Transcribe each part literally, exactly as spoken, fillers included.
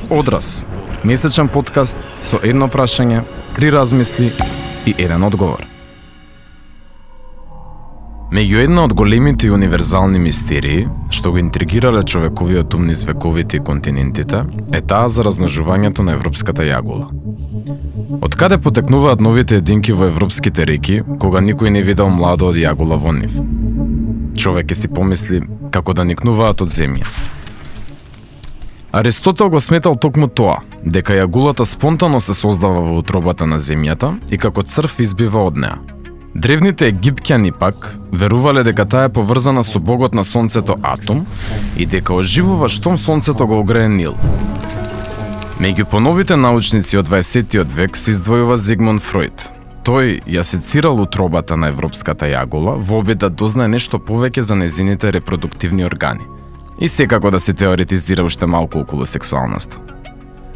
Одраз, месечен подкаст со едно прашање, три размисли и еден одговор. Меѓу една од големите и универзални мистерии, што го интригирале човековиот ум низ вековите и континентите, е таа за размножувањето на европската јагула. Од каде потекнуваат новите единки во европските реки, кога никој не видел младо од јагула во нив? Човек ќе си помисли како да никнуваат од земја. Аристотел го сметал токму тоа, дека јагулата спонтано се создава во утробата на земјата и како црв избива од неа. Древните египќани пак верувале дека таа е поврзана со богот на сонцето Атом и дека оживува штом сонцето го огрее Нил. Меѓу поновите научници од дваесеттиот век се издвојува Зигмунд Фройд. Тој ја сецирал утробата на европската јагула во обид да дознае нешто повеќе за незините репродуктивни органи и секако да се теоретизира уште малку околу сексуалноста.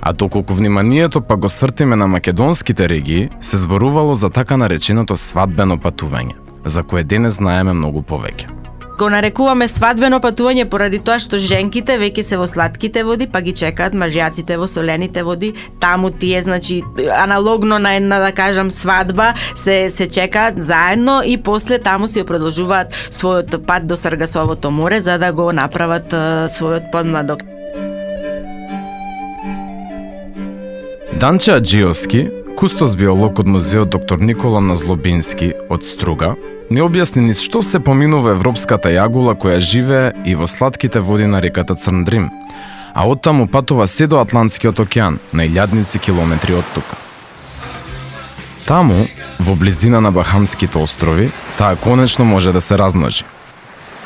А доколку вниманието пак го свртиме на македонските регии, се зборувало за така нареченото свадбено патување, за кое денес знаеме многу повеќе. Го нарекуваме свадбено патување поради тоа што женките веќе се во сладките води, па ги чекаат мажјаците во солените води. Таму тие, значи, аналогно на една, да кажам, свадба, се се чекаат заедно и после таму си продолжуваат својот пат до Саргасовото море за да го направат uh, својот подмладок. Данче Аџиовски, кустос биолог од музеот доктор Никола Назлобински од Струга, не објасни низ што се поминува европската јагула која живее и во сладките води на реката Црндрим, а оттаму патува се до Атлантскиот океан, на илјадници километри од тука. Таму, во близина на Бахамските острови, таа конечно може да се размножи.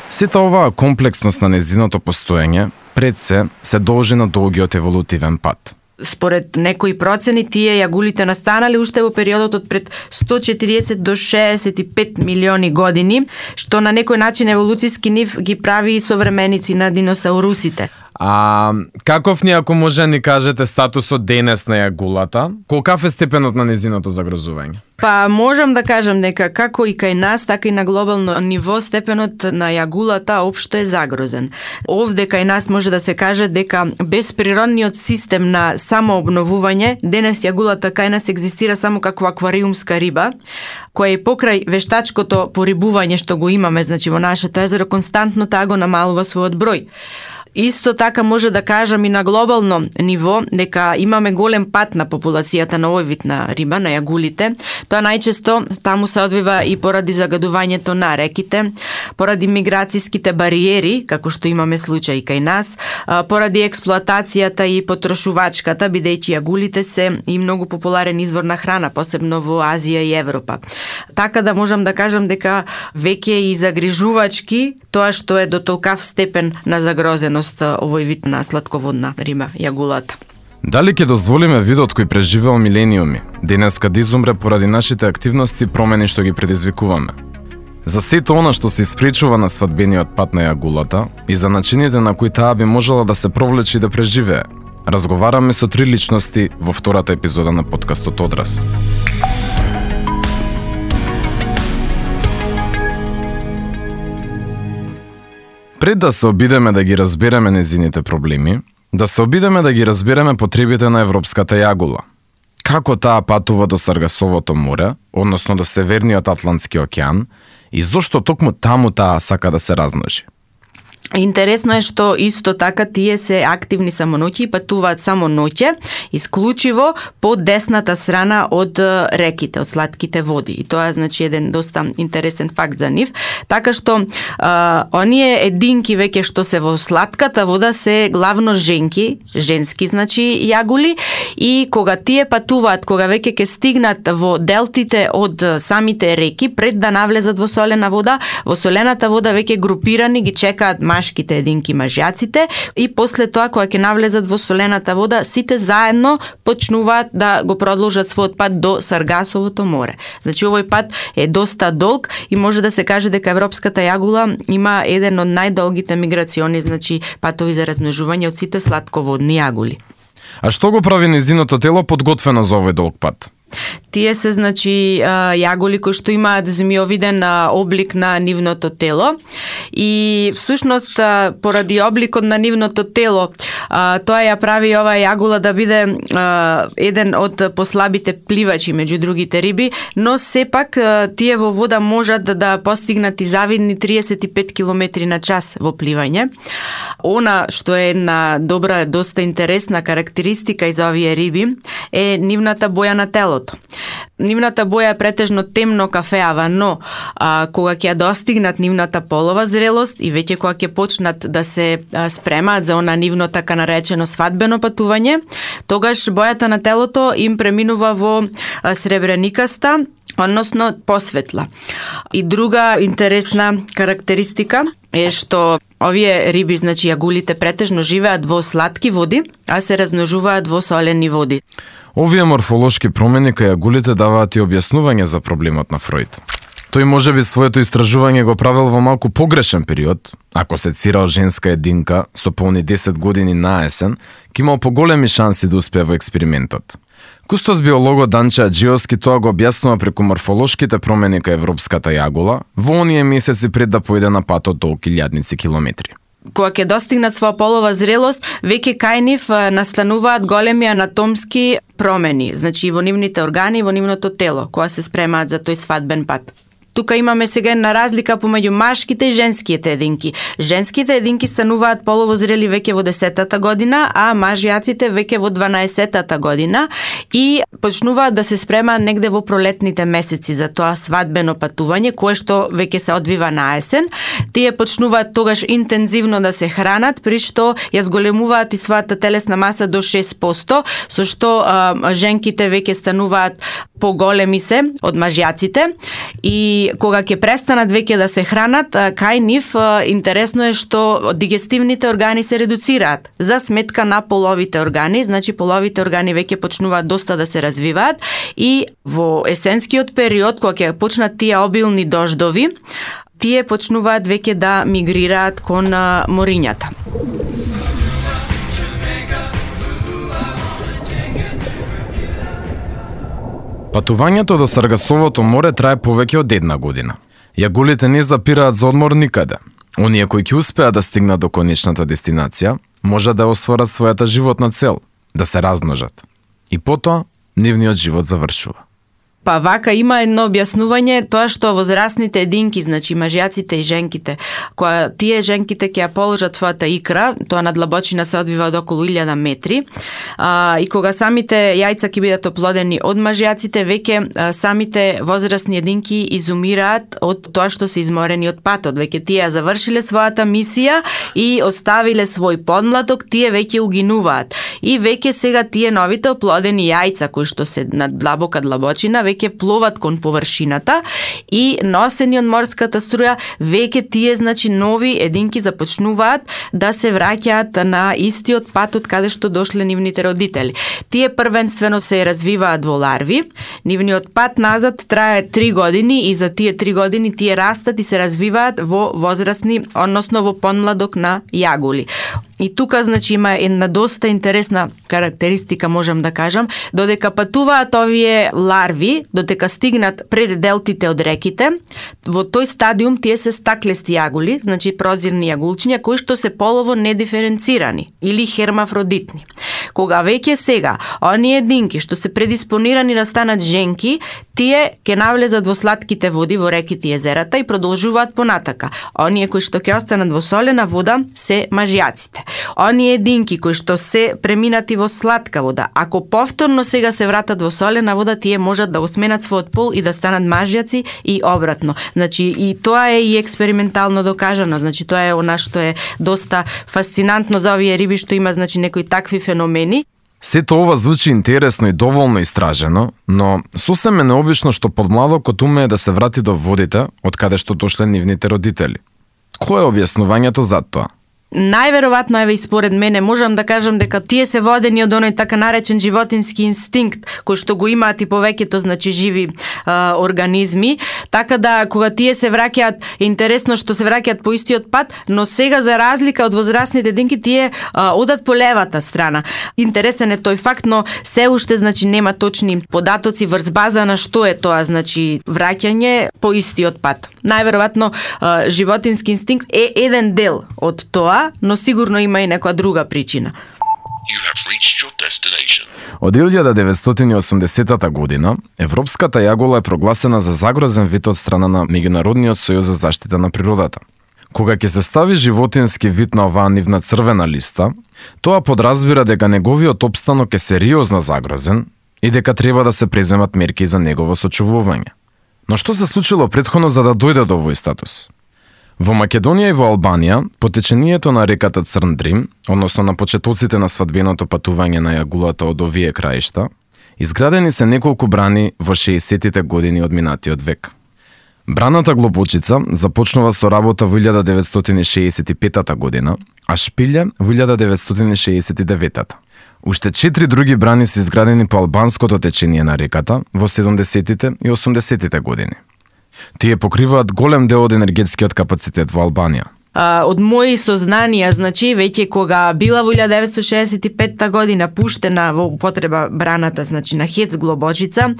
Сета оваа комплексност на незиното постоење, пред се, се должи на долгиот еволутивен пат. Според некои процени, тие јагулите настанале уште во периодот од пред сто четириесет до шеесет и пет милиони години, што на некој начин еволуциски нив ги прави и современици на диносаурусите. А каков ни, ако може да ни кажете, статусот денес на јагулата? Колкав е степенот на незиното загрозување? Па можам да кажам дека како и кај нас, така и на глобално ниво степенот на јагулата општо е загрозен. Овде кај нас може да се каже дека без природниот систем на самообновување, денес јагулата кај нас екзистира само како аквариумска риба, која и покрај вештачкото порибување што го имаме, значи во нашето езеро, константно таа го намалува својот број. Исто така може да кажам и на глобално ниво дека имаме голем пат на популацијата на овој вид на риба, на јагулите. Тоа најчесто таму се одвива и поради загадувањето на реките, поради миграцијските бариери, како што имаме случај кај нас, поради експлоатацијата и потрошувачката, бидејќи јагулите се и многу популарен извор на храна, посебно во Азија и Европа. Така да можам да кажам дека веќе и загрижувачки тоа што е до толкав степен на загрозеност овој вид на сладководна риба, јагулата. Дали ќе дозволиме видот кој преживеал милениуми, денеска да изумре поради нашите активности и промени што ги предизвикуваме? За сето она што се испречува на свадбениот пат на јагулата и за начините на кои таа би можела да се провлече и да преживее, разговараме со три личности во втората епизода на подкастот Одраз. Пред да се обидеме да ги разбереме незините проблеми, да се обидеме да ги разбереме потребите на европската јагула. Како таа патува до Саргасовото море, односно до Северниот Атлантски океан, и зошто токму таму таа сака да се размножи. Интересно е што исто така тие се активни само ноќе и патуваат само ноќе, исклучиво по десната страна од реките, од сладките води. И тоа е, значи, еден доста интересен факт за нив. Така што а, оние единки веќе што се во сладката вода се главно женки, женски, значи, јагули, и кога тие патуваат, кога веќе ќе стигнат во делтите од самите реки, пред да навлезат во солена вода, во солената вода веќе групирани ги чекаат машките единки, мажјаците, и после тоа кога ќе навлезат во солената вода, сите заедно почнуваат да го продолжат својот пат до Саргасовото море. Значи овој пат е доста долг и може да се каже дека европската јагула има еден од најдолгите миграциони, значи патови за размножување од сите сладководни јагули. А што го прави незиното тело подготвено за овој долг пат? Тие се, значи, јаголи кои што имаат змиовиден облик на нивното тело и всушност поради обликот на нивното тело тоа ја прави оваа јагула да биде еден од послабите пливачи меѓу другите риби, но сепак тие во вода можат да постигнат и завидни триесет и пет километри на час во пливање. Она што е една добра, доста интересна карактеристика из овие риби е нивната боја на телото. Нивната боја е претежно темно кафеава, но а, кога ќе достигнат нивната полова зрелост и веќе кога ќе почнат да се а, спремаат за она нивно така наречено свадбено патување, тогаш бојата на телото им преминува во а, сребреникаста, односно посветла. И друга интересна карактеристика е што овие риби, значи јагулите, претежно живеат во сладки води, а се размножуваат во солени води. Овие морфолошки промени кај јагулите даваат и објаснување за проблемот на Фројд. Тој можеби своето истражување го правил во малку погрешен период. Ако се цирал женска единка со полни десет години наесен, ќе имал поголеми шанси да успее во експериментот. Кустос биологот Данче Аџиовски тоа го објаснува преку морфолошките промени кај европската јагула во оние месеци пред да појде на патот толку илјадници километри. Кога ќе достигнат своја полова зрелост, веќе кај нив настануваат големи анатомски промени, значи во нивните органи, во нивното тело, кога се спремаат за тој свадбен пат. Тука имаме сега една разлика помеѓу машките и женските единки. Женските единки стануваат полово зрели веќе во десетата година, а мажјаците веќе во дванаесеттата година и почнуваат да се спремаат негде во пролетните месеци за тоа свадбено патување, кое што веќе се одвива на есен. Тие почнуваат тогаш интензивно да се хранат, при што ја зголемуваат и својата телесна маса до шест проценти, со што а, женките веќе стануваат поголеми се од мажјаците и кога ќе престанат веќе да се хранат, кај нив интересно е што дигестивните органи се редуцираат за сметка на половите органи, значи половите органи веќе почнуваат доста да се развиваат и во есенскиот период кога ќе почнат тие обилни дождови, тие почнуваат веќе да мигрираат кон морињата. Патувањето до Саргасовото море трае повеќе од една година. Јагулите не запираат за одмор никаде. Оние кои ќе успеат да стигнат до конечната дестинација, можат да остварат својата животна цел, да се размножат. И потоа, нивниот живот завршува. Па вака има едно објаснување, тоа што возрастните единки, значи мажјаците и женките, кога тие женките ќе ја положат својата икра, тоа на длабочина се одвива од околу илјада метри, а, и кога самите јајца ќе бидат оплодени од мажјаците, веќе а, самите возрастни единки изумираат од тоа што се изморени од патот. Веќе тие ја завршиле својата мисија и оставиле свој подмладок, тие веќе угинуваат. И веќе сега тие новите оплодени јајца кои што се на длабока длабочина веќе пловат кон површината и носени од морската струја, веќе тие, значи, нови единки започнуваат да се враќаат на истиот пат од каде што дошле нивните родители. Тие првенствено се развиваат во ларви, нивниот пат назад трае три години и за тие три години тие растат и се развиваат во возрастни, односно во подмладок на јагули. И тука, значи, има една доста интересна карактеристика, можам да кажам, додека патуваат овие ларви, додека стигнат пред делтите од реките, во тој стадиум тие се стаклести јагули, значи прозирни јагулчиња, кои што се полово недиференцирани или хермафродитни. Кога веќе сега, оние единки што се предиспонирани да станат женки, тие ќе навлезат во сладките води, во реките и езерата и продолжуваат понатака. Оние кои што ќе останат во солена вода се мажјаците. Оние единки кои што се преминати во сладка вода, ако повторно сега се вратат во солена вода, тие можат да го сменат својот пол и да станат мажјаци и обратно. Значи, и тоа е и експериментално докажано. Значи, тоа е она што е доста фасцинантно за овие риби, што има, значи, некои такви феномени. Сето ова звучи интересно и доволно истражено, но сосем е необично што подмладокот умее да се врати до водите од каде што дошле нивните родители. Кој е објаснувањето за тоа? Најверојатно, еве и според мене, можам да кажам дека тие се водени од оној така наречен животински инстинкт, кој што го имаат и повеќето, значи, живи а, организми, така да кога тие се враќаат, е интересно што се враќаат по истиот пат, но сега за разлика од возрастните динки тие а, одат по левата страна. Интересен е тој факт, но се уште, значи, нема точни податоци врз база на што е тоа, значи, враќање по истиот пат. Најверојатно а, животински инстинкт е еден дел од тоа, но сигурно има и некоја друга причина. Од илјада деветстотини и осумдесетата година, европската јагола е прогласена за загрозен вид од страна на Меѓународниот сојуз за заштита на природата. Кога ќе се стави животински вид на оваа нивна црвена листа, тоа подразбира дека неговиот опстанок е сериозно загрозен и дека треба да се преземат мерки за негово сочувување. Но што се случило претходно за да дојде до овој статус? Во Македонија и во Албанија, по течението на реката Црн Дрим, односно на почетоците на свадбеното патување на јагулата од овие краишта, изградени се неколку брани во шеесеттите години од минатиот век. Браната Глобочица започнува со работа во илјада деветстотини шеесет и петата година, а Шпилје во илјада деветстотини шеесет и деветата. Уште четири други брани се изградени по албанското течение на реката во седумдесетите и осумдесетите години. Тие покриваат голем дел од енергетскиот капацитет во Албанија. Uh, од мои сознанија, значи, веќе кога била во илјада деветстотини шеесет и петта година пуштена во употреба браната, значи, на Хец Глобочица,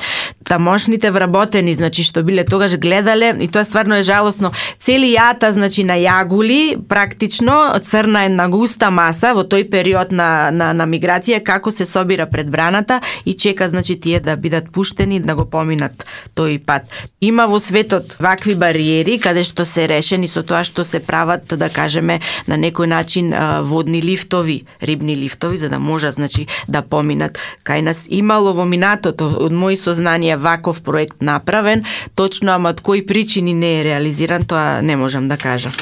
тамошните вработени, значи, што биле тогаш гледале, и тоа стварно е жалосно, цели јата, значи, на јагули, практично, црна една густа маса во тој период на, на, на миграција, како се собира пред браната и чека, значи, тие да бидат пуштени, да го поминат тој пат. Има во светот вакви бариери, каде што се решени со тоа што се прават, да кажеме, на некој начин водни лифтови, рибни лифтови, за да можат, значи, да поминат. Кај нас имало во минатото, од мои сознанија, ваков проект направен, точно, ама од кои причини не е реализиран, тоа не можам да кажам.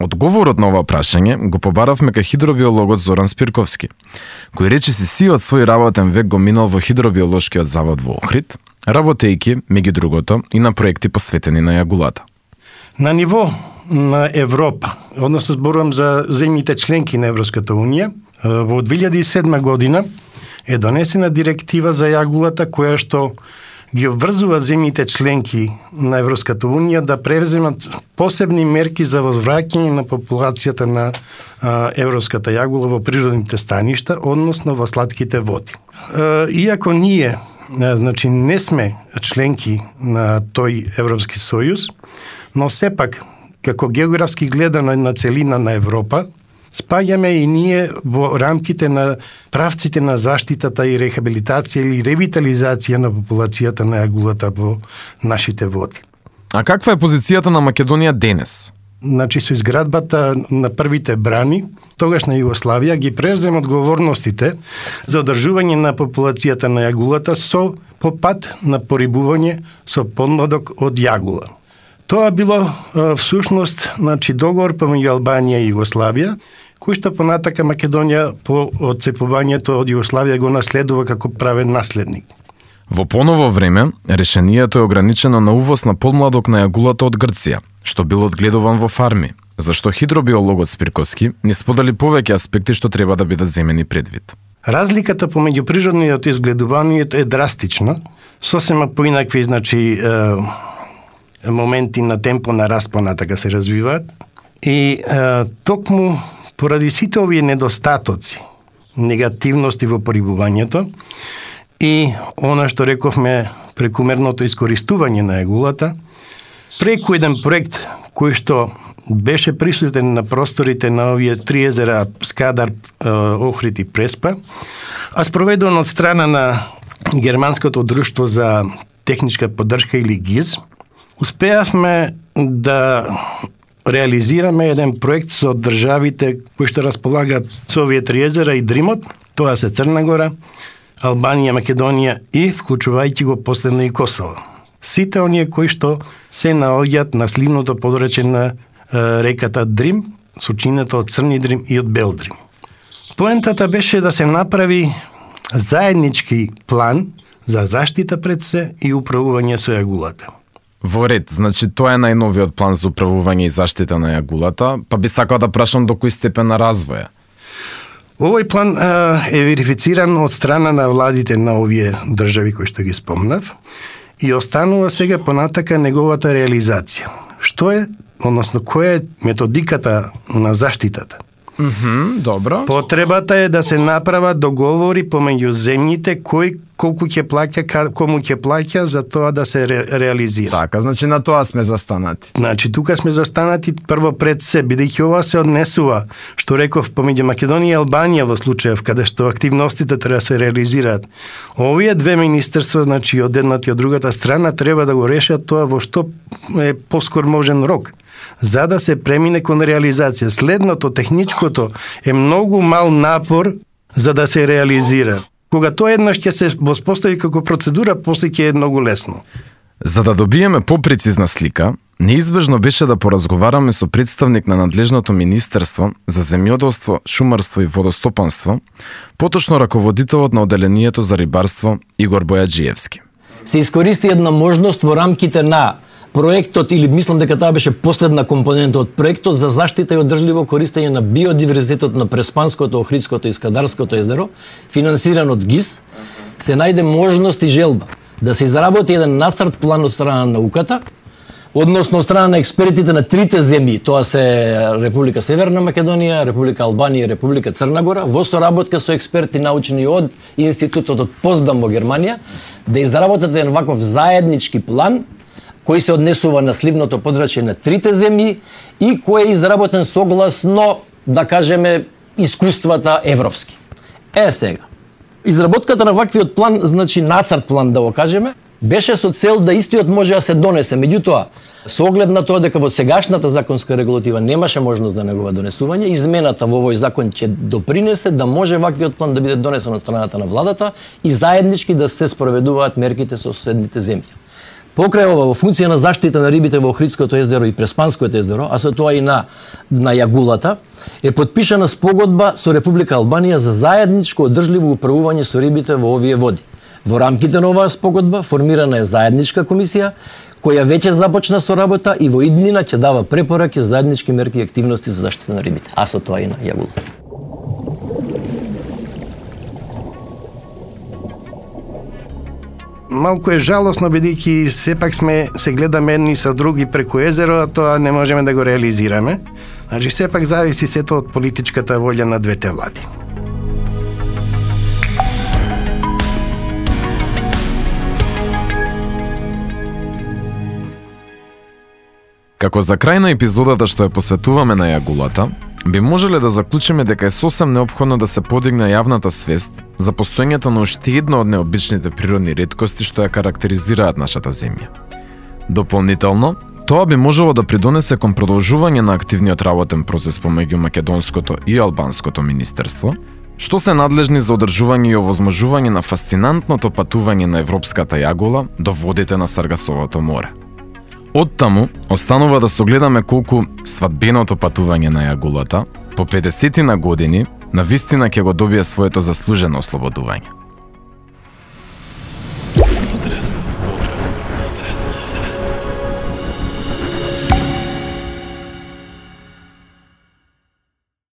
Одговорот на ова прашање го побаравме кај хидробиологот Зоран Спирковски, кој речиси сиот свој работен век го минал во хидробиолошкиот завод во Охрид, работејќи, меѓу другото, и на проекти посветени на јагулата. На ниво на Европа, односно зборувам за земјите членки на Европската Унија, во две илјади и седма година е донесена директива за јагулата која што ги обврзува земјите членки на Европската Унија да превземат посебни мерки за возвраќање на популацијата на а, европската јагула во природните станишта, односно во слатките води. А, иако ние, а, значи, не сме членки на тој Европски сојуз, но сепак, како географски гледано на целина на Европа, спаѓаме и ние во рамките на правците на заштитата и рехабилитација или ревитализација на популацијата на јагулата во нашите води. А каква е позицијата на Македонија денес? Значи, со изградбата на првите брани, тогаш на Југославија ги превзема одговорностите за одржување на популацијата на јагулата со по пат на порибување со подмладок од јагула. Тоа било всушност, значи, договор помеѓу Албанија и Југославија, кој што понатака Македонија по одцепувањето од Југославија го наследува како правен наследник. Во поново време, решението е ограничено на увоз на подмладок на јагулата од Грција, што бил одгледуван во фарми, зашто хидробиологот Спирковски не сподели повеќе аспекти што треба да бидат земени предвид. Разликата помеѓу природниот и одгледувањето е драстична, сосема поинакви, значи, е, моменти на темпо на распона така се развиваат и е, токму поради сите овие недостатоци, негативности во порибувањето и она што рековме прекумерното искористување на јагулата, преку еден проект кој што беше присутен на просторите на овие три езера Скадар, Охрид и Преспа, а спроведен од страна на Германското друштво за техничка поддршка или ГИЗ, успеавме да реализираме еден проект со државите кои што располагаат со овие три езера и Дримот, тоа се Црна Гора, Албанија, Македонија и вклучувајќи го последно и Косово. Сите оние кои што се наоѓаат на сливното подречје на е, реката Дрим, сочинето од Црни Дрим и од Бел Дрим. Поентата беше да се направи заеднички план за заштита пред се и управување со јагулата. Во ред, значи тоа е најновиот план за управување и заштита на јагулата, па би сакал да прашам до кој степен на развој е. Овој план а, е верифициран од страна на владите на овие држави кои што ги спомнав и останува сега понатака неговата реализација. Што е, односно која е методиката на заштитата? Мхм, добро. Потребата е да се направат договори помеѓу земјите кој колку ќе плаќа, кому ќе плаќа за тоа да се ре, реализира. Така, значи на тоа сме застанати. Значи тука сме застанати прво пред се, бидејќи ова се однесува, што реков, помеѓу Македонија и Албанија во случајов каде што активностите треба да се реализираат. Овие две министерства, значи од едната и од другата страна, треба да го решат тоа во што е поскор можен рок, за да се премине кон реализација. Следното, техничкото, е многу мал напор за да се реализира. Кога тоа еднаш ќе се воспостави како процедура, после ќе е многу лесно. За да добиеме попрецизна слика, неизбежно беше да поразговараме со представник на надлежното Министерство за земјоделство, шумарство и водостопанство, поточно раководителот на оделението за рибарство Игор Бојаджиевски. Се искористи една можност во рамките на проектот, или мислам дека таа беше последна компонента од проектот за заштита и одржливо користење на биодиверзитетот на Преспанското, Охридското и Скадарското езеро, финансиран од ГИС, се најде можност и желба да се изработи еден нацрт план од страна на науката, односно од страна на експертите на трите земји, тоа се Република Северна Македонија, Република Албанија и Република Црна Гора, во соработка со експерти научни од Институтот од Поздам во Германија, да изработат еден ваков заеднички план кој се однесува на сливното подрачје на трите земји и кој е изработен согласно, да кажеме, искуствата европски. Е сега, изработката на ваквиот план, значи нацрт план да го кажеме, беше со цел да истиот може да се донесе. Меѓутоа, со оглед на тоа дека во сегашната законска регулатива немаше можност за негово донесување, измената во овој закон ќе допринесе да може ваквиот план да биде донесен од страната на владата и заеднички да се спроведуваат мерките со соседните земји. Покрај ова, во функција на заштита на рибите во Охридското езеро и Преспанското езеро, а со тоа и на, на јагулата, е подпишана спогодба со Република Албанија за заедничко одржливо управување со рибите во овие води. Во рамките на оваа спогодба формирана е заедничка комисија, која веќе започна со работа и во иднина ќе дава препораки за заеднички мерки и активности за заштита на рибите, а со тоа и на јагулата. Малку е жалосно, бидејќи сепак сме се гледаме едни со други преку езеро, а тоа не можеме да го реализираме. Значи, сепак зависи сето од политичката волја на двете влади. Како за крај на епизодата што ја посветуваме на јагулата, би можеле да заклучиме дека е сосем неопходно да се подигне јавната свест за постоењето на уште една од необичните природни реткости што ја карактеризираат нашата земја. Дополнително, тоа би можело да придонесе кон продолжување на активниот работен процес помеѓу македонското и албанското министерство, што се надлежни за одржување и овозможување на фасцинантното патување на европската јагула до водите на Саргасовото море. Оттаму, останува да согледаме колку свадбеното патување на јагулата по педесетина години навистина ќе го добие своето заслужено ослободување.